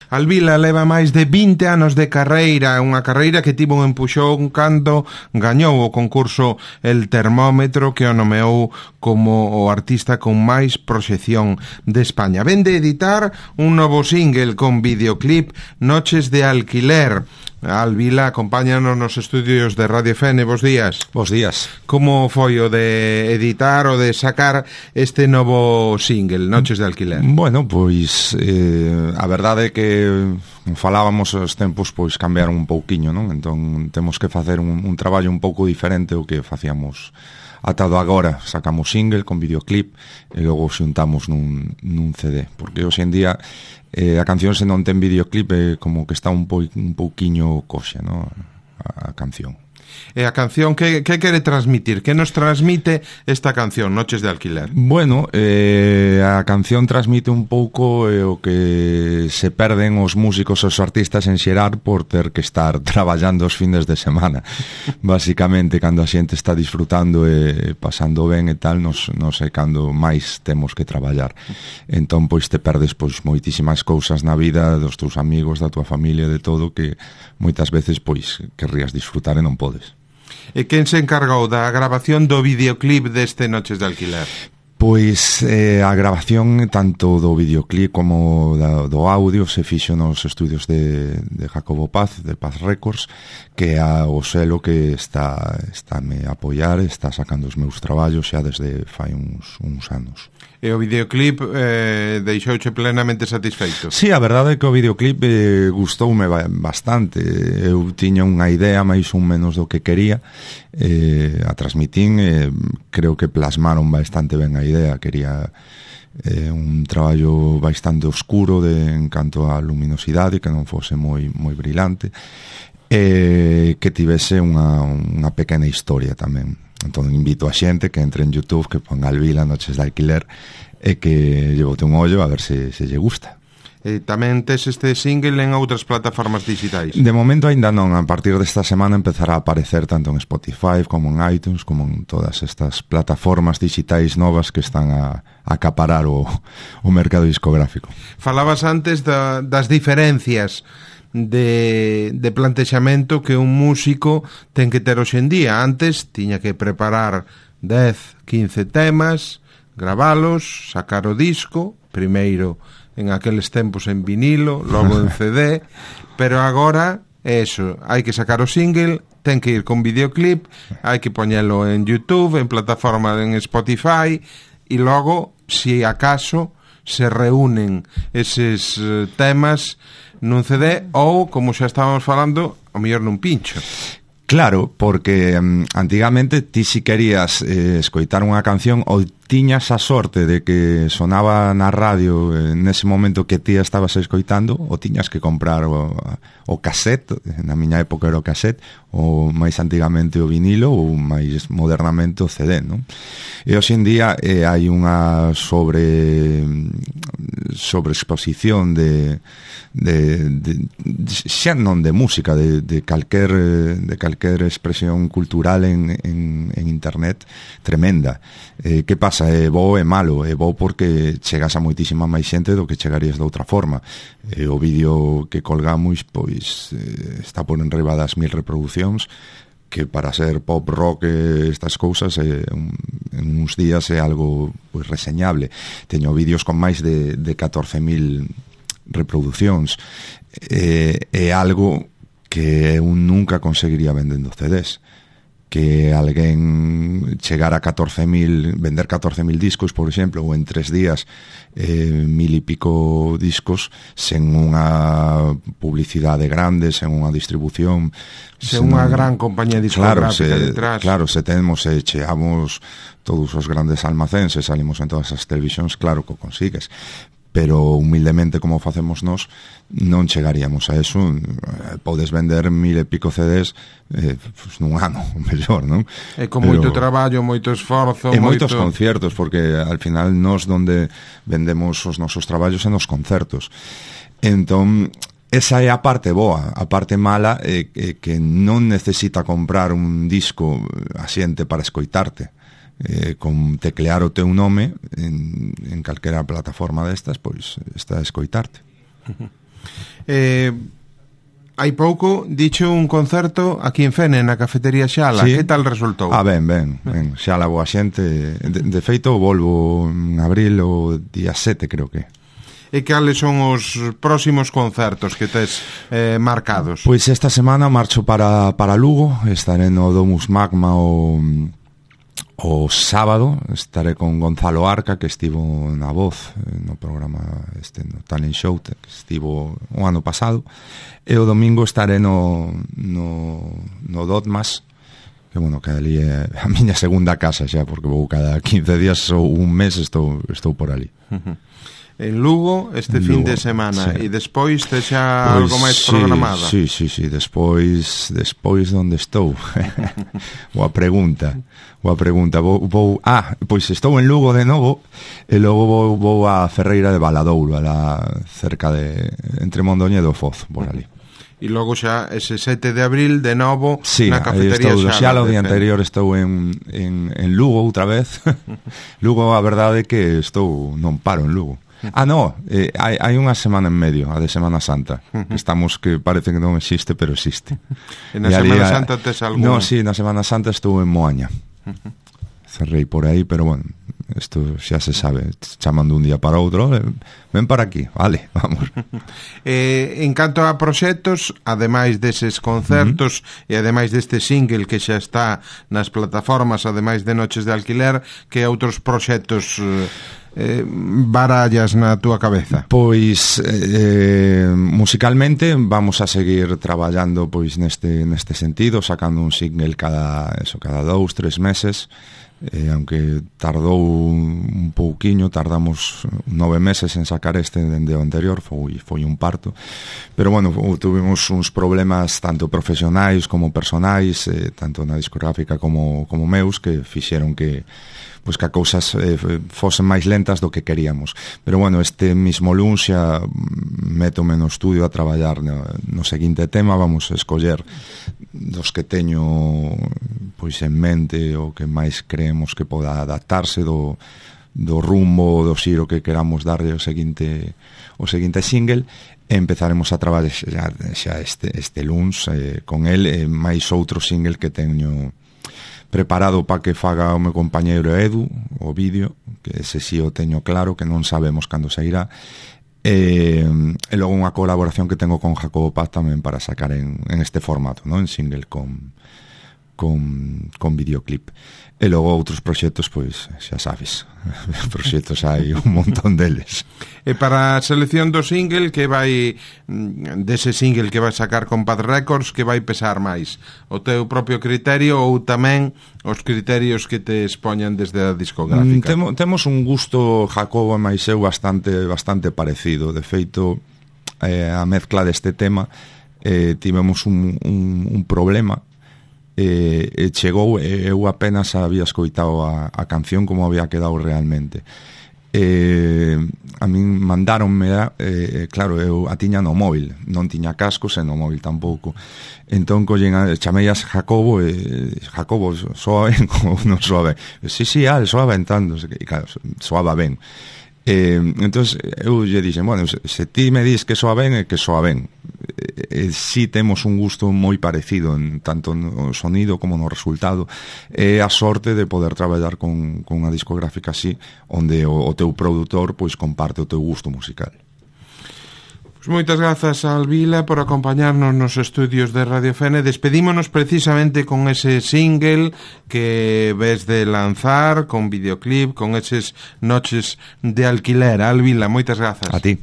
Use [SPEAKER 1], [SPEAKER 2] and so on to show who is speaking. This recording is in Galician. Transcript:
[SPEAKER 1] Alvila leva máis de 20 anos de carreira, unha carreira que tivo un empuxón cando gañou o concurso El Termómetro, que o nomeou como o artista con máis proxección de España. Ven de editar un novo single con videoclip, Noches de Alquiler. Alvila, acompáñanos nos estudios de Radio Fene. Bos días.
[SPEAKER 2] Bos días.
[SPEAKER 1] Como foi o de editar o de sacar este novo single, Noches de Alquiler?
[SPEAKER 2] Bueno, pois a verdade é que falábamos os tempos, pois cambiaron un pouquiño, non? Entón temos que facer un traballo un pouco diferente ao que facíamos atado agora. Sacamos single con videoclip e logo xuntamos nun CD, porque hoxe en día a canción, se non ten videoclip, como que está un pouquiño coxa, no? A canción.
[SPEAKER 1] E a canción, que quere transmitir? Que nos transmite esta canción, Noches de Alquiler?
[SPEAKER 2] Bueno, a canción transmite un pouco o que se perden os músicos e os artistas en xerar por ter que estar traballando os fines de semana. Basicamente, cando a xente está disfrutando e pasando ben e tal, nos é cando máis temos que traballar. Entón, pois, te perdes pois moitísimas cousas na vida dos teus amigos, da tua familia, de todo, que moitas veces, pois, querrías disfrutar e non podes.
[SPEAKER 1] E quen se encargou da grabación do videoclip deste Noches de Alquiler?
[SPEAKER 2] Pois a grabación tanto do videoclip como do audio se fixo nos estudios de Jacobo Paz, de Paz Records, que é o selo que está me a apoiar, está sacando os meus traballos xa desde fai uns anos.
[SPEAKER 1] E o videoclip deixouche plenamente satisfeito?
[SPEAKER 2] Sí, a verdade é que o videoclip gustoume bastante. Eu tiña unha idea máis ou menos do que quería, a transmitín, creo que plasmaron bastante ben a idea. Quería un traballo bastante oscuro en canto á luminosidade, que non fose moi brilante, que tivese unha pequena historia tamén. Entón invito a xente que entre en YouTube, que ponga Alvila Noches de Alquiler e que lle bote un ollo a ver se lle gusta.
[SPEAKER 1] E tamén tes este single en outras plataformas digitais?
[SPEAKER 2] De momento ainda non. A partir desta semana empezará a aparecer tanto en Spotify como en iTunes, como en todas estas plataformas digitais novas que están a acaparar o mercado discográfico.
[SPEAKER 1] Falabas antes das diferencias de plantexamento que un músico ten que ter hoxe en día. Antes tiña que preparar 10, 15 temas, gravalos, sacar o disco, primeiro en aqueles tempos en vinilo, logo en CD, pero agora eso, hai que sacar o single, ten que ir con videoclip, hai que poñelo en YouTube, en plataforma en Spotify, e logo, si acaso, se reúnen eses temas nun CD ou, como xa estábamos falando, ao mellor nun pincho.
[SPEAKER 2] Claro, porque antigamente ti si querías escoitar unha canción ou tiñas a sorte de que sonaba na radio nese momento que ti estabas escoitando, ou tiñas que comprar o cassette, na miña época era o cassette, ou máis antigamente o vinilo, ou máis modernamente o CD, non? E hoxe en día hai unha sobreexposición de xa non de música, de calquer expresión cultural en internet tremenda. Que pasa? É bo e malo. É bo porque chegas a moitísima máis xente do que chegarías de outra forma. O vídeo que colgamos pois está por enriba das 1000 reproduccións, que para ser pop, rock, estas cousas en uns días é algo pois reseñable. Teño vídeos con máis de 14.000 reproduccións. É algo que eu nunca conseguiría vendendo CDs. Que alguén chegar a 14.000, vender 14.000 discos, por exemplo, ou en 3 días 1.000 e pico discos, sen unha publicidade grande, sen unha distribución,
[SPEAKER 1] sen unha gran compañía discográfica detrás.
[SPEAKER 2] Claro, se cheamos todos os grandes almacéns e salimos en todas as televisións, claro que o consigues, pero humildemente como facemos nós non chegaríamos a eso. Podes vender 1000 e pico CDs nun ano, mellor, non?
[SPEAKER 1] E con moito traballo, moito esforzo,
[SPEAKER 2] e moitos concertos, porque al final nós donde vendemos os nosos traballos en os concertos. Entón esa é a parte boa. A parte mala é que non necesita comprar un disco a xente para escoitarte. Con teclear o teu nome en calquera plataforma destas, pois está a escoitarte.
[SPEAKER 1] Hai pouco dicho un concerto aquí en Fene, na cafetería Xala.
[SPEAKER 2] Sí.
[SPEAKER 1] Que tal resultou?
[SPEAKER 2] Ben, Xala boa xente. De feito, volvo en abril o día 7, creo que.
[SPEAKER 1] E cales son os próximos concertos que tes marcados?
[SPEAKER 2] Pois esta semana marcho para Lugo. Estaré no Domus Magma o sábado. Estaré con Gonzalo Arca, que estivo na Voz no programa no Talent Show, que estivo o ano pasado. E o domingo estaré no Dotmas, que bueno, que ali é a miña segunda casa xa, porque vou cada 15 días ou un mes estou por ali.
[SPEAKER 1] En Lugo este fin de semana, sí. E despois te xa algo máis programado?
[SPEAKER 2] Sí, despois onde estou? Boa pregunta. Pois estou en Lugo de novo, e logo vou a Ferreira de Valadouro, cerca de entre Mondoñedo e Foz, por ali.
[SPEAKER 1] E logo xa ese 7 de abril de novo na cafetería
[SPEAKER 2] Xala. O día anterior estou en Lugo outra vez. Lugo, a verdade é que non paro en Lugo. Hai unha semana en medio, a de Semana Santa, que parece que non existe, pero existe.
[SPEAKER 1] E na Semana Santa tes algún?
[SPEAKER 2] No, sí, na Semana Santa estou en Moaña. Cerrei por aí, pero bueno, isto xa se sabe, chamando un día para outro, ven para aquí, vale, vamos.
[SPEAKER 1] En canto a proxectos, ademais deses concertos e ademais deste single que xa está nas plataformas, ademais de Noches de Alquiler, que outros proxectos barallas na túa cabeza?
[SPEAKER 2] Pois musicalmente vamos a seguir traballando pois neste sentido, sacando un single cada 2-3 meses. Aunque tardou un pouquiño, tardamos 9 meses en sacar dende o anterior, foi un parto, pero bueno, tuvimos uns problemas tanto profesionais como personais, tanto na discográfica como meus, que fixeron que a cousas fosen máis lentas do que queríamos. Pero bueno, este mismo luns xa métome no estudio a traballar no seguinte tema. Vamos a escoller dos que teño pois en mente o que máis creemos que poda adaptarse do rumbo, do xiro que queramos darlle o seguinte single, e empezaremos a traballar xa este luns con el, máis outro single que teño preparado para que faga o meu compañeiro Edu, o vídeo, que ese sí o teño claro, que non sabemos cando sairá, e logo unha colaboración que tengo con Jacobo Paz tamén para sacar en este formato, ¿no? En single con videoclip. E logo outros proxectos, pois xa sabes, proxectos hai un montón deles.
[SPEAKER 1] E para a selección do single, que vai dese single que vai sacar con Paz Records, que vai pesar máis? O teu propio criterio ou tamén os criterios que te expoñan desde a discográfica?
[SPEAKER 2] Temos un gusto, Jacobo e máis eu, bastante parecido. De feito, a mezcla deste tema tivemos un problema. Chegou, eu apenas había escoitado a canción como había quedado realmente. A min mandáronme, claro, eu a tiña no móvil, non tiña cascos e no móvil tampouco. Entón chamei a Jacobo Jacobo, soa ben ou non soa ben? Sí, soa ben tanto, e claro, soaba ben. Entón eu lle dixen, bueno, se ti me dis que soa ben, é que soa ben. Si temos un gusto moi parecido en tanto no sonido como no resultado, e a sorte de poder traballar con unha discográfica así, onde o teu produtor pois comparte o teu gusto musical.
[SPEAKER 1] Pues moitas grazas a Alvila por acompañarnos nos estudios de Radio Fene. Despedímonos precisamente con ese single que ves de lanzar, con videoclip, con eses Noches de Alquiler. Alvila, moitas grazas.
[SPEAKER 2] A ti.